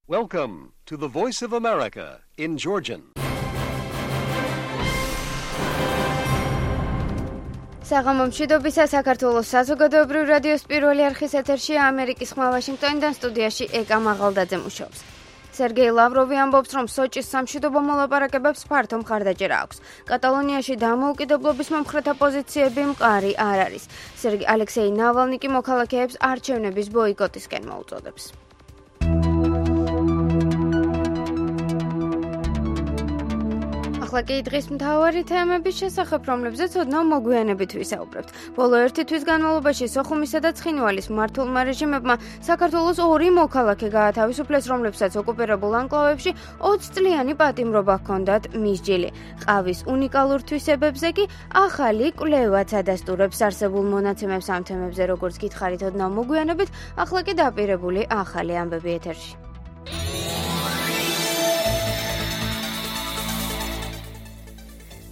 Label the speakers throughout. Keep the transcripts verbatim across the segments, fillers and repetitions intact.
Speaker 1: Welcome to the Voice of America in Georgian.
Speaker 2: საღამომშვიდობისა საქართველოს საზოგადოებრივ რადიოს პირველი არხის ეთერშია ამერიკის ხმა ვაშინგტონიდან სტუდიაში ეკა მაღალდაძე მუშაობს. სერგეი ლავროვი ამბობს, რომ სოჭის სამშვიდობო მოლაპარაკებებს ფართო მხარდაჭერა აქვს. კატალონიაში დამოუკიდებლობის მომხრეთა პოზიციები მყარი არ არის. სერგეი ალექსეი ნავალნი კი მოქალაქეებს არჩევნების ბოიკოტისკენ მოუწოდებს. ახლა კი დღის მთავარი თემების შესახებ, რომლებზეც ოდნავ მოგვიანებით ვისაუბრებთ. ბოლო ერთი თვის განმავლობაში სოხუმისა და ცხინვალის მმართველმა რეჟიმებმა საქართველოს ორი მოქალაქე გაათავისუფლეს, რომლებსაც ოკუპირებულ ანკლავებში ოცი წლიანი პატიმრობა ჰქონდათ მისჯილი. ყავის უნიკალურ თვისებებზე კი ახალი კვლევაც ადასტურებს არსებულ მონაცემებს ამ თემებზე, როგორც გითხარით ოდნავ მოგვიანებით, ახლა კი დაპირებული ახალი ამბები ეთერში.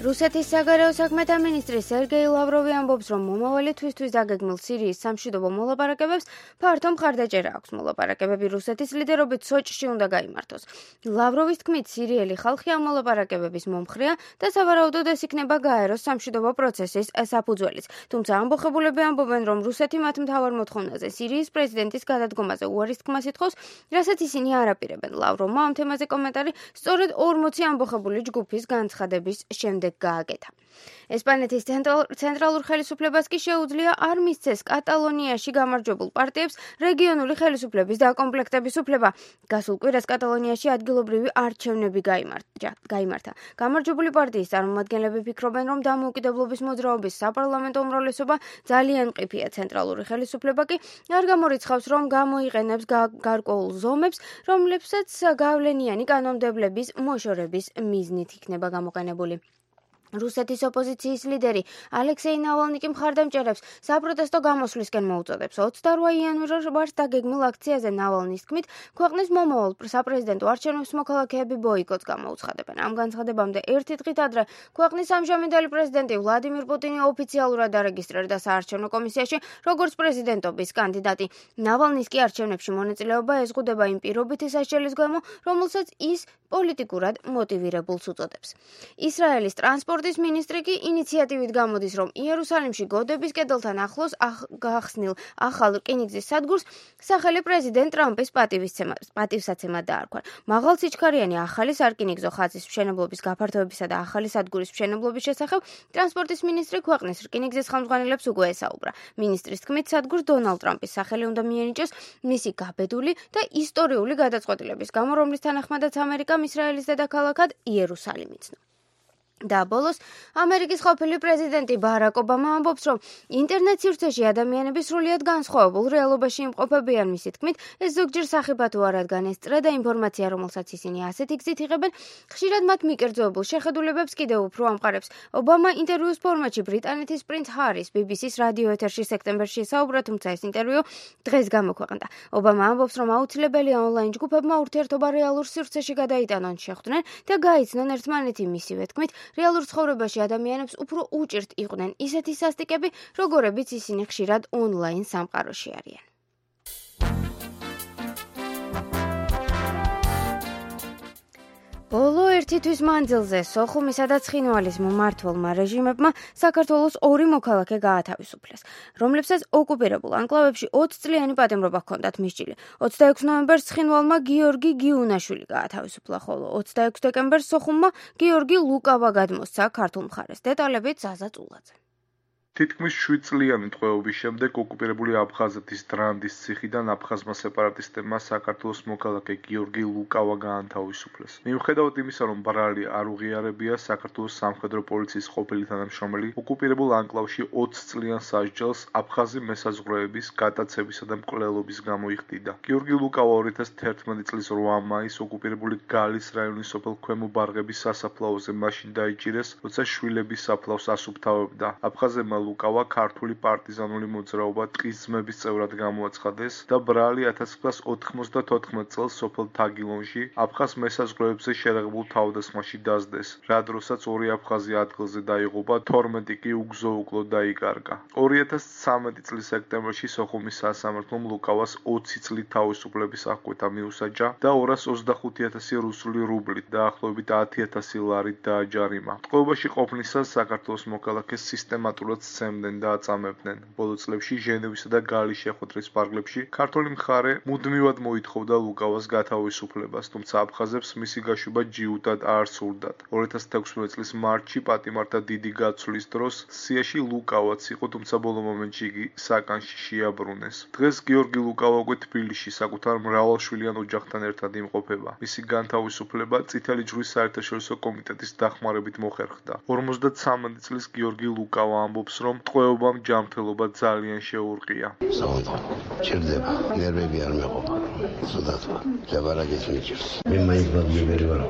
Speaker 2: რუსეთის საგარეო საქმეთა მინისტრი სერგეი ლავროვი ამბობს, რომ მომავალი თვისთვის დაგეგმილ სირიის სამშვიდობო მოლაპარაკებებს ფართო მხარდაჭერა აქვს. მოლაპარაკებები რუსეთის ლიდერობით სოჭში უნდა გაიმართოს. ლავროვის თქმით, სირიელი ხალხი ამ მოლაპარაკებების მომხრეა და სავარაუდოდ ეს იქნება გაეროს სამშვიდობო პროცესის საფუძველიც. თუმცა ამბოხებულები ამბობენ, რომ რუსეთი მათ მთავარ მოთხოვნაზე სირიის პრეზიდენტის გადადგომაზე უარის თქმას ითხოვს, რასაც ისინი არ აპირებენ. ლავროვმა ამ თემაზე კომენტარი სწორედ ორმოცი ამბოხებული ჯგუფის განცხადების შემდეგ გააკეთა. ესპანეთის ცენტრალურ ხელისუფლებას კი შეუძლია არ მისცეს კატალონიაში გამარჯვებულ პარტიებს რეგიონული ხელისუფლების დაკომპლექტების უფლება. გასულ კვირას კატალონიაში ადგილობრივი არჩევნები გაიმართა. გამარჯვებული პარტიის წარმომადგენლები ფიქრობენ, რომ დამოუკიდებლობის მოძრაობის საპარლამენტო უმრავლესობა ძალიან მყიფეა. ცენტრალური ხელისუფლება კი არ გამორიცხავს, რომ გამოიყენებს გარკვეულ ზომებს, რომლებსაც გავლენიანი კანონმდებლების მოშორების მიზნით იქნება გამოყენებული. რუსეთის ოპოზიციის ლიდერი ალექსეი ნავალნი კი მხარდამჭერებს საპროტესტო გამოსვლისკენ მოუწოდებს. ოცდარვა იანვარს დაგეგმილ აქციაზე ნავალნის თქმით, ქვეყნის მომავალ საპრეზიდენტო არჩევნებს მოქალაქეები ბოიკოტს გამოუცხადებენ. ამ განცხადებამდე ერთი დღით ადრე ქვეყნის ამჟამინდელი პრეზიდენტი ვლადიმირ პუტინი ოფიციალურად დარეგისტრირდა საარჩევნო კომისიაში როგორც პრეზიდენტობის კანდიდატი. ნავალნის კი არჩევნებში მონაწილეობა ეზღუდება იმ პირობითი სასჯელის გამო, რომელსაც ის პოლიტიკურად მოტივირებულს უწოდებს. ისრაელის ტრანსპორტ ის მინისტრი კი ინიციატივით გამოდის, რომ იერუსალიმში გოდების კედელთან ახლოს გახსნილ ახალ რკინიგზის სადგურს სახელი პრეზიდენტ ტრამპის პატივსაცემად დაარქვა. მაღალ სიჩქარიანი ახალი სარკინიგზო ხაზის მშენებლობის გაფართოებისა და ახალი სადგურის მშენებლობის შესახებ ტრანსპორტის მინისტრი ქვეყნის რკინიგზის ხელმძღვანელებს უკვე ესაუბრა. მინისტრის თქმით, სადგურს დონალდ ტრამპის სახელი უნდა მიენიჭოს მისი გაბედული და ისტორიული გადაწყვეტილების გამო, რომლის თანახმადაც ამერიკამ ისრაელის დედაქალაქად იერუსალიმი იცნო. და ბოლოს ამერიკის ყოფილი პრეზიდენტი ბარაკ ობამა ამბობს, რომ ინტერნეტ სივრცეში ადამიანები სრულიად განსხვავებულ რეალობაში იმყოფებიან. მისი თქმით, ეს ზოგჯერ სახიფათო არ, რადგან ეს წრე და ინფორმაცია, რომელსაც ისინი ასეთი გზით იღებენ, ხშირად მათ მიკერძოებულ შეხედულებებს კიდევ უფრო ამყარებს. ობამა ინტერვიუს ფორმატში ბრიტანეთის პრინც ჰარის ბი ბი სის რადიო ეთერში სექტემბერში ესაუბრა, თუმცა ეს ინტერვიუ დღეს გამოქვეყნდა. ობამა ამბობს, რომ აუცილებელია ონლაინ ჯგუფებმა ურთიერთობა რეალურ სივრცეში გადაიტანონ, შეხვდნენ და გაიცნონ ერთმანეთი. მისივე თქმით, რეალურ ცხოვრებაში ადამიანებს უფრო უჭირთ იყვნენ ისეთი სასტიკები, როგორებიც ისინი ხშირად ონლაინ სამყაროში არიან. ბოლო ერთი თვის მანძილზე სოხუმისა და ცხინვალის მმართველმა რეჟიმებმა საქართველოს ორი მოქალაქე გაათავისუფლეს, რომლებსაც ოკუპირებულ ანკლავებში ოცი წლიანი პატიმრობა ჰქონდათ მისჯილი. ოცდაექვსი ნოემბერს ცხინვალმა გიორგი გიუნაშვილი გაათავისუფლა, ხოლო ოცდაექვსი დეკემბერს სოხუმმა გიორგი ლუკავა გადმოსცა ქართულ მხარეს. დეტალებით ზაზა წულაძე.
Speaker 3: თითქმის შვიდ წლიანი ტყვეობის შემდეგ ოკუპირებული აფხაზეთის დრანდის ციხიდან აფხაზმა სეპარატისტებმა საქართველოს მოქალაქე გიორგი ლუკავა გაანთავისუფლეს. მიუხედავად იმისა, რომ ბრალი არ უღიარებია, საქართველოს სამხედრო პოლიციის ყოფილი თანამშრომელი ოკუპირებულ ანკლავში ოცი წლიან სასჯელს აფხაზი მესაზღვრეების, გატაცებისა და მკვლელობის გამო იხდიდა. გიორგი ლუკავა ორი ათას თერთმეტი წლის რვა მაისს ოკუპირებული გალის რაიონის სოფელ ქვემო ბარღების სასაფლაოზე მაშინ დაიჭირეს, როცა შვილების საფლავს ასუფთავებდა. აფხაზებმა ლუკავა ქართული პარტიზანული მოძრაობა ტყის ძმების წევრად გამოაცხადეს და ბრალი ათას ცხრაასი ოთხმოცდათოთხმეტ წელს სოფელ თაგილონში აფხაზ მესაზღვრეებზე შერაღებულ თავდასხმაში დასდეს, რა დროსაც ორი აფხაზი ადგილზე დაიღუპა, თორმეტი კი უგზო-უკლოდ დაიკარგა. ორი ათას ცხრამეტი წლის სექტემბერში სოხუმის სასამართლომ ლუკავას ოცი წლით თავისუფლების აღკვეთა მიუსაჯა და ორას ოცდახუთი ათასი რუსული რუბლით, დაახლოებით ათი ათასი ლარით დააჯარიმა. ტყვეობაში ყოფნისას საქართველოს მოქალაქეს სისტემატურად სცემდნენ და აწამებდნენ. ბოლო წლებში ჟენევისა და გალის შეხვედრის ფარგლებში ქართული მხარე მუდმივად მოითხოვდა ლუკავას გათავისუფლებას, თუმცა აფხაზებს მისი გაშვება ჯიუტად არ სურდათ. ორი ათას თექვსმეტი წლის მარტში პატიმართა დიდი გაცვლის დროს სიაში ლუკავაც იყო, თუმცა ბოლო მომენტში იგი საკანში შეაბრუნეს. დღეს გიორგი ლუკავა უკვე თბილისში საკუთარ მრავალშვილიან ოჯახთან ერთად იმყოფება. მისი განთავისუფლება წითელი ჯვრის საერთაშორისო კომიტეტის დახმარებით მოხერხდა. ორმოცდათვრამეტი წლის გიორგი ლუკავა ამბობს, რომ ტყვეობამ ჯანმრთელობა ძალიან შეურყია.
Speaker 4: ჭირდება, ნერვები არ მეყოფა. სუდათვა, ლაბარაკის მიჭირს. მე მაინც ბადმებერი ვარ,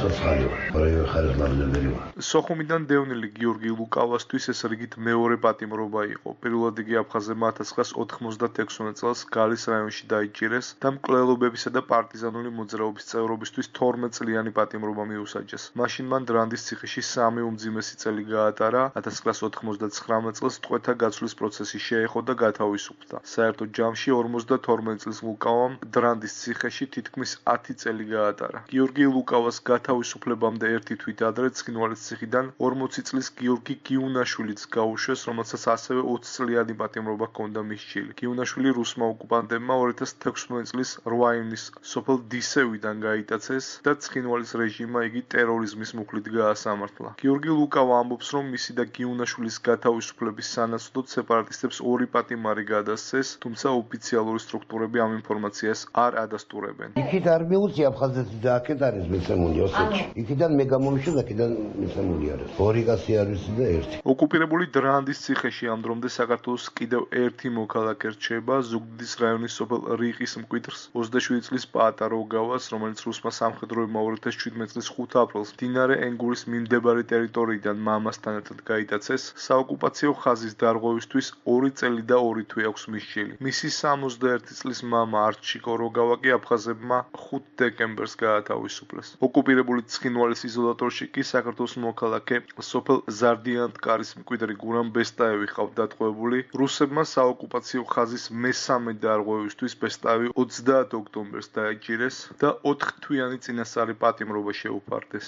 Speaker 4: ცოცხალი ვარ, პროექტ ხარეს ბადმებერი ვარ.
Speaker 3: სოხუმიდან დევნილი გიორგი ლუკავასთვის ეს რიგით მეორე პატიმრობა იყო. პირველად იგი აფხაზებმა ათას ცხრაასი ოთხმოცდათექვსმეტ წელს გალის რაიონში დაიჭირეს და მკვლელობებისა და პარტიზანული მოძრაობის წევრობისთვის თორმეტ წლიანი პატიმრობა მიუსაჯეს. მაშინ მან დრანდის ციხეში სამი უმძიმესი წელი გაატარა, ათას ცხრაასი ოთხმოცდათვრამეტ წელს ტყვეთა გაცვლის პროცესი შეეხო და გათავისუფლდა. საერთო ჯამში ორმოცდათორმეტ წლის ლუკავამ დრანდის ციხეში თითქმის ათი წელი გაატარა. გიორგი ლუკავას გათავისუფლებამდე ერთი თვით ადრე ცხინვალის ციხიდან ორმოცი წლის გიორგი გიუნაშვილიც გაუშვეს, რომელსაც ასევე ოცი წლიანი პატიმრობა ჰქონდა მისჯილი. გიუნაშვილი რუსმა ოკუპანტებმა ორი ათას თექვსმეტი წლის რვა ივნის სოფელ დისევიდან გაიტაცეს და ცხინვალის რეჟიმმა იგი ტერორიზმის მუხლით გაასამართლა. გიორგი ლუკავა ამბობს, რომ მისი და გიუნაშვილის გათავისუფლების სანაცვლოდ სეპარატისტებს ორი პატიმარი გადასცეს, თუმცა ოფიციალური სტრუქტურები ამ ინფორმაციას არ ადასტურებენ.
Speaker 4: იქით არ მიუწია აფხაზეთი და აქეთ არის მიცემული ოსეთში. იქიდან მე გამომიშვა და აქედან მიცემული არის. ორი კაცი არის და ერთი.
Speaker 3: ოკუპირებული დრანდის ციხეში ამ დრომდე საქართველოს კიდევ ერთი მოქალაქე რჩება, ზუგდიდის რაიონის სოფელ რიყის მკვიდრს, ოცდაშვიდი წლის პაატა როგავას, რომელიც რუსმა სამხედროებმა ორი ათას შვიდმეტი წლის ხუთ აპრილს მდინარე ენგურის მიმდებარე ტერიტორიიდან მამასთან ერთად გაიტაცეს. საოკუპაციო ხაზის დარღვევისთვის ორი წელი და ორი თვე აქვს მისჯილი. მისი სამოცდაერთი წლის მამა არჩიკო როგავა კი აფხაზებმა ხუთ დეკემბერს გაათავისუფლეს. ოკუპირებული ცხინვალის იზოლატორში კი საქართველოს მოქალაქე სოფელ ზარდიანტკარის მკვიდრი გურამ ბესტაევი ყავთ დატყვევებული. რუსებმა საოკუპაციო ხაზის მესამე დარღვევისთვის ბესტაევი ოცდაათი ოქტომბერს დაიჭირეს და ოთხთვიანი წინასწარი პატიმრობა შეუფარდეს.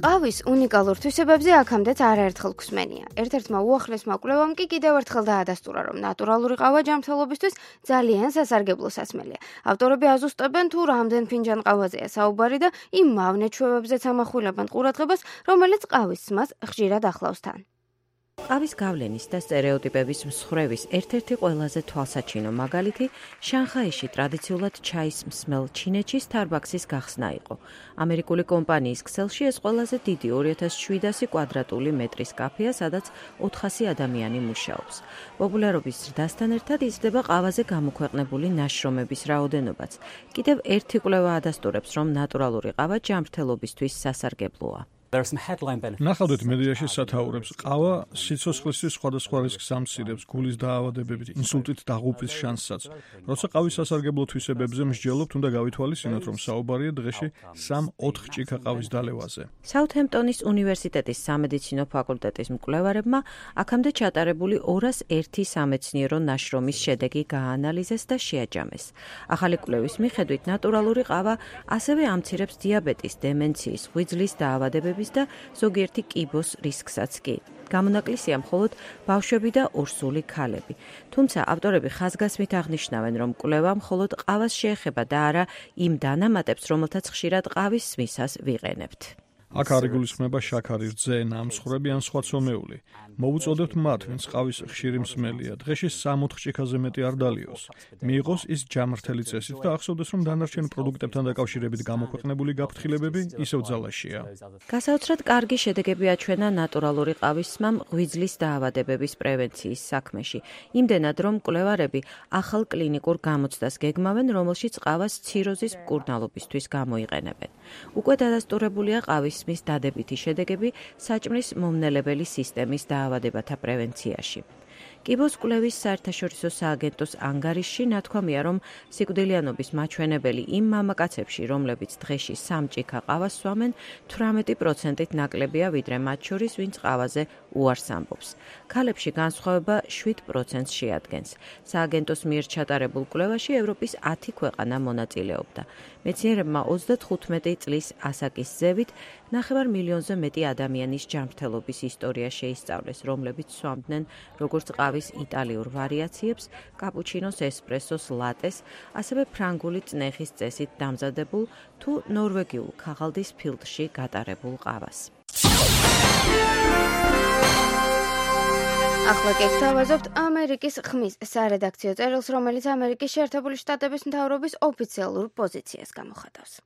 Speaker 2: ყავის უნიკალურ თვისებებზე აქამდეც არაერთხელ გვსმენია. ერთ-ერთმა უახლესმა კვლევამ კი კიდევ ერთხელ დაადასტურა, რომ ნატურალური ყავა ჯანმრთელობისთვის ძალიან სასარგებლო სასმელია. ავტორები აზუსტებენ, თუ რამდენ ფინჯან ყავაზეა საუბარი და იმ მავნე ჩვევებზეც ამახვილებენ ყურადღებას, რომელიც ყავის სმას ხშირად ახლავს თან.
Speaker 5: ყავის გავლენის და სტერეოტიპების მსხვერვის ერთ-ერთი ყველაზე თვალსაჩინო მაგალითი შანხაიში ტრადიციულად ჩაის მსმელ ჩინეთში Starbucks-ის გახსნა იყო. ამერიკული კომპანიის ქსელში ეს ყველაზე დიდი ორი ათას შვიდასი კვადრატული მეტრის კაფეა, სადაც ოთხასი ადამიანი მუშაობს. პოპულარობის ზრდასთან ერთად იზრდება ყავაზე გამოქვეყნებული ნაშრომების რაოდენობაც. კიდევ ერთი კვლევა ადასტურებს, რომ ნატურალური ყავა ჯანმრთელობისთვის სასარგებლოა.
Speaker 6: ნახავდეთ მედიაში სათაურებს. ყავა სიცოცხლისთვის სხვადასხვა რისკს ამცირებს, გულის დაავადებებით, ინსულტით დაღუპვის შანსსაც. როცა ყავის სასარგებლო თვისებებზე მსჯელობთ, უნდა გავითვალისწინოთ, რომ საუბარია დღეში სამ-ოთხ ჭიქა ყავის დალევაზე.
Speaker 5: საუთჰემპტონის უნივერსიტეტის სამედიცინო ფაკულტეტის მკვლევარებმა აქამდე ჩატარებული ორას ერთი სამეცნიერო ნაშრომის შედეგი გააანალიზეს და შეაჯამეს. ახალი კვლევის მიხედვით ნატურალური ყავა ასევე ამცირებს დიაბეტის, დემენციის, ღვიძლის დაავადებების და ზოგიერთი კიბოს რისკსაც კი. გამონაკლისია მხოლოდ ბავშვები და ორსული ქალები. თუმცა ავტორები ხაზგასმით აღნიშნავენ, რომ კვლევა მხოლოდ ყავას შეეხება და არა იმ დანამატებს, რომელთაც ხშირად ყავის სმისას ვიყენებთ.
Speaker 6: აქ არ იგულისხმება შაქარი, რძე, ნამსხვრები ან სხვა ცომეული. მოვუწოდებთ მათ, ვინც ყავის ხშირი მსმელია, დღეში სამ-ოთხ ჭიქაზე მეტი არ დალიოს. მიიღოს ის ჯანმრთელი წესით და ახსოვდეს, რომ დანარჩენ პროდუქტებთან დაკავშირებით გამოქვეყნებული გაფრთხილებები ისევ ძალაშია.
Speaker 5: გასაოცრად კარგი შედეგები აჩვენა ნატურალური ყავის სმამ ღვიძლის დაავადებების პრევენციის საქმეში. იმდენად, რომ მკვლევარები ახალ კლინიკურ გამოცდას გეგმავენ, რომელშიც ყავას ციროზის მკურნალობისთვის გამოიყენებენ. უკვე დადასტურებულია ყავის ისმის დადებითი შედეგები საჭმლის მომნელებელი სისტემის დაავადებათა პრევენციაში. კიბოს კვლევის საერთაშორისო სააგენტოს ანგარიშში ნათქვამია, რომ სიკვდილიანობის მაჩვენებელი იმ მამაკაცებში, რომლებიც დღეში სამ ჭიქა ყავას სვამენ, თვრამეტი პროცენტით ნაკლებია, ვიდრე მათ შორის, ვინც ყავაზე უარს ამბობს. ქალებში განსხვავება შვიდ პროცენტს შეადგენს. სააგენტოს მიერ ჩატარებულ კვლევაში ევროპის ათი ქვეყანა მონაწილეობდა. მეცნიერებმა ოცდათხუთმეტი წლის ასაკის ზევით ნახევარ მილიონზე მეტი ადამიანის ჯანმრთელობის ისტორია შეისწავლეს, რომლებიც სვამდნენ როგორც ყავის იტალიურ ვარიაციებს, კაპუჩინოს, ესპრესოს, ლატეს, ასევე ფრანგული წნეხის წესით დამზადებულ თუ ნორვეგიულ ქაღალდის ფილტრში გატარებულ ყავას.
Speaker 2: ახლა კი გთავაზობთ ამერიკის ხმის სარედაქციო წერილს, რომელიც ამერიკის შეერთებული შტატების მთავრობის ოფიციალურ პოზიციას გამოხატავს.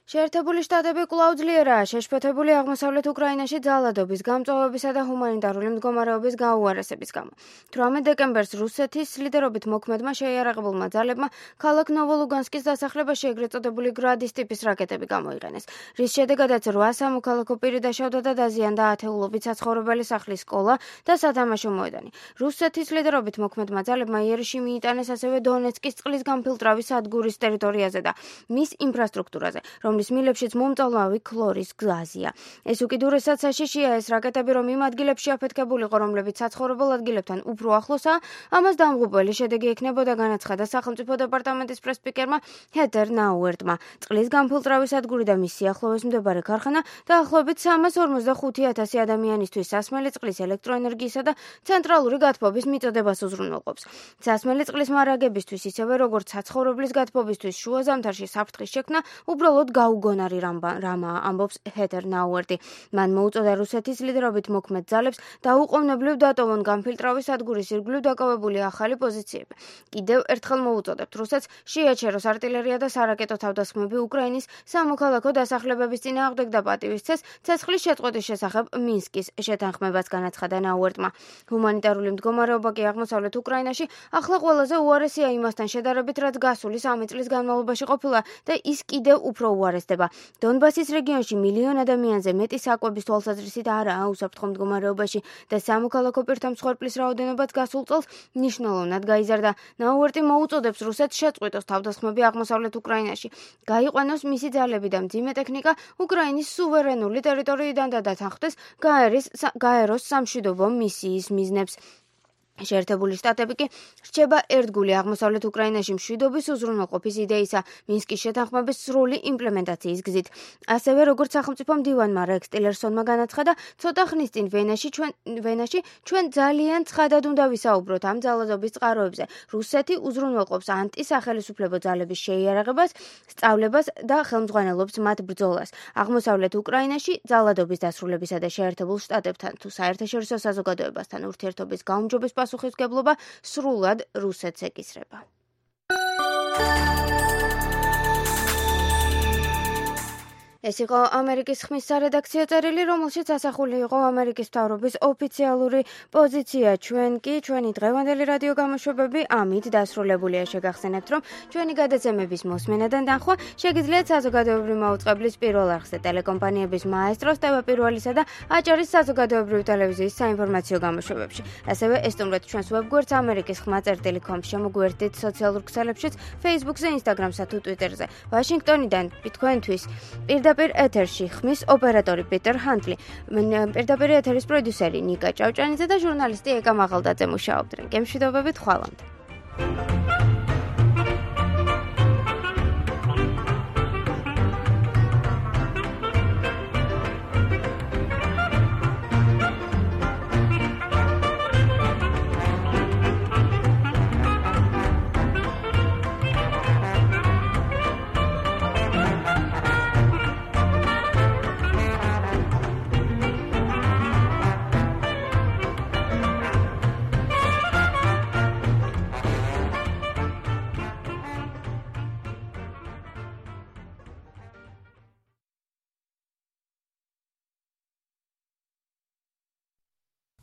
Speaker 2: შეერთებული შტატები კვლავ ძლიერაა შეშფოთებული აღმოსავლეთ უკრაინაში ძალადობის, გამწვავებისა და ჰუმანიტარული მდგომარეობის გაუარესების გამო. თვრამეტ დეკემბერს რუსეთის ლიდერობით მოქმედმა შეიარაღებულმა ძალებმა ქალაქ ნოვოლუგანსკის დასახლებაში ეგრეთ წოდებული გრადის ტიპის რაკეტები გამოიყენეს, რის შედეგადაც რვა სამოქალაქო პირი დაშავდა და დაზიანდა ათეულობით საცხოვრებელი სახლის სკოლა და სათამაშო მოედანი. რუსეთის ლიდერობით მოქმედმა ძალებმა იერიში მიიტანეს ასევე დონეცკის წყლის გამფილტრავის სადგურის ტერიტორიაზე და მის ინფრასტრუქტურაზე, რომლის მილებშიც მომწალმავი ქლორის გაზია. ეს უკიდურესად საშიშია ეს რაკეტები, რომ იმ ადგილებში აფეთქებულიყო, რომლებიც საცხოვრებელ ადგილებთან უფრო ახლოსაა, ამას დამღუპველი შედეგი ექნებოდა, განაცხადა სახელმწიფო დეპარტამენტის პრესსპიკერმა ჰეტერ ნაუერტმა. წყლის გამფილტრავის სადგური და მის სიახლოვეს მდებარე ქარხანა დაახლოებით სამას ორმოცდახუთი ათასი ადამიანისთვის სასმელი წყლის, ელექტროენერგიისა და ცენტრალური გათბობის მიწოდებას უზრუნველყოფს. სასმელი წყლის მარაგებისთვის, ისევე როგორც საცხოვრებლის გათბობისთვის შუა ზამთარში საფრთხის შექმნა უბრალოდ გაუგონარი რამაა, ამბობს ჰეტერ ნაუერტი. მან მოუწოდა რუსეთის ლიდერობით მოქმედ ძალებს დაუყოვნებლივ დატოვონ გამფილტრავის სადგურის ირგვლივ დაკავებული ახალი პოზიციები. კიდევ ერთხელ მოუწოდებთ რუსეთს შეაჩეროს артиლერია და სარაკეტო თავდასხმები უკრაინის სამოქალაქო დასახლებების წინააღმდეგ და პატივისცეს ცეცხლის შეწყვეტის შესახებ მინსკის შეთანხმებას, განაცხადა ნაუერტმა. ჰუმანიტარული მდგომარეობა კი აღმოსავლეთ უკრაინაში ახლა ყველაზე უარესია იმასთან შედარებით, რაც გასული სამი წლის განმავლობაში ყოფილა და ის კიდევ უფრო უარესდება. დონბასის რეგიონში მილიონ ადამიანზე მეტი საკვების თვალსაზრისით არაა უსაფრთხო მდგომარეობაში და სამოქალაქო პირთა მსხვერპლის რაოდენობაც გასულ წელს მნიშვნელოვნად გაიზარდა. ნაუერტი მოუწოდებს რუსეთს შეწყვიტოს თავდასხმები აღმოსავლეთ უკრაინაში, გაიყვანოს მისი ძალები და მძიმე ტექნიკა უკრაინის სუვერენული ტერიტორიიდან და დათანხმდეს გაეროს სამშვიდობო მისიის მიზნებს. შეერთებული შტატები კი რჩება ერთგული აღმოსავლეთ უკრაინაში მშვიდობის უზრუნველყოფის იდეისა მინსკის შეთანხმების სრული იმპლემენტაციის გზით. ასევე როგორც სახელმწიფო მდივანმა რექს ტილერსონმა განაცხადა, ცოტა ხნის წინ ვენაში ჩვენ ვენაში ჩვენ ძალიან ცხადად უნდა ვისაუბროთ ამ ძალადობის წყაროებზე. რუსეთი უზრუნველყოფს ანტისახელისუფლებო ძალების შეიარაღებას, სწავლებას და ხელმძღვანელობს მათ ბრძოლას. აღმოსავლეთ უკრაინაში ძალადობის დასრულებისა და შეერთებულ შტატებთან თუ საერთაშორისო საზოგადოებასთან ურთიერთობის გაუმჯობეს პასუხისმგებლობა სრულად რუსეთს ეკისრება. ეს იყო ამერიკის ხმის სარედაქციო წერილი, რომელშიც ასახული იყო ამერიკის მთავრობის ოფიციალური პოზიცია. ჩვენ კი ჩვენი დღევანდელი რადიო გამოშვებები ამით დასრულებულია. შეგახსენებთ, რომ ჩვენი გადაცემების მოსმენადან დახვა შეგიძლიათ საზოგადოებრივი მაუწყებლის პირველ არხზე, ტელეკომპანიების მაესტროს, ტევ პირველისა და აჭარის საზოგადოებრივი ტელევიზიის საინფორმაციო გამოშვებებში. ასევე ესტუმრეთ ჩვენს ვებგვერდს ამერიკის ხმა წერტილი კომ, შემოგვიერთდით სოციალურ ქსელებშიც, Facebook-ზე, Instagram-სა თუ Twitter-ზე. ვაშინგტონიდან თქვენთვის პირდაპირ ეთერში ხმის ოპერატორი პიტერ ჰანტლი, პირდაპირ ეთერის პროდიუსერი ნიკა ჭავჭანიძე და ჟურნალისტი ეკა მაღალდაძე მუშაობდნენ. გემშვიდობებით, ხვალამდე.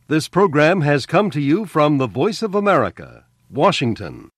Speaker 1: This program has come to you from the Voice of America, Washington.